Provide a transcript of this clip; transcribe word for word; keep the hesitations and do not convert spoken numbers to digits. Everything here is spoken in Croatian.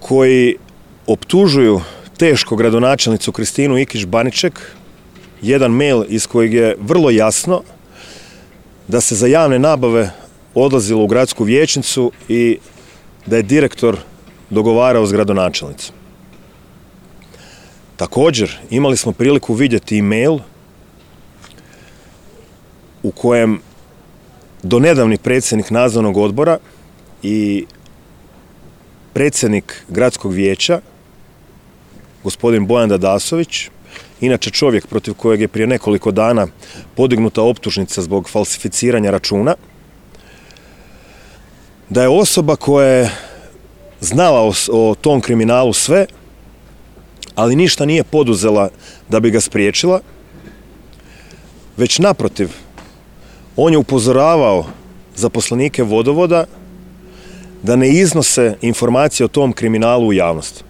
koji optužuju teško gradonačelnicu Kristinu Ikić Baniček, jedan mail iz kojeg je vrlo jasno da se za javne nabave odlazilo u gradsku vijećnicu i da je direktor dogovarao s gradonačelnicom. Također, imali smo priliku vidjeti e-mail u kojem donedavni predsjednik nadzornog odbora i predsjednik gradskog vijeća, gospodin Bojan Dadasović, inače čovjek protiv kojeg je prije nekoliko dana podignuta optužnica zbog falsificiranja računa, da je osoba koja je znala o, o tom kriminalu sve, ali ništa nije poduzela da bi ga spriječila, već naprotiv, on je upozoravao zaposlenike vodovoda da ne iznose informacije o tom kriminalu u javnost.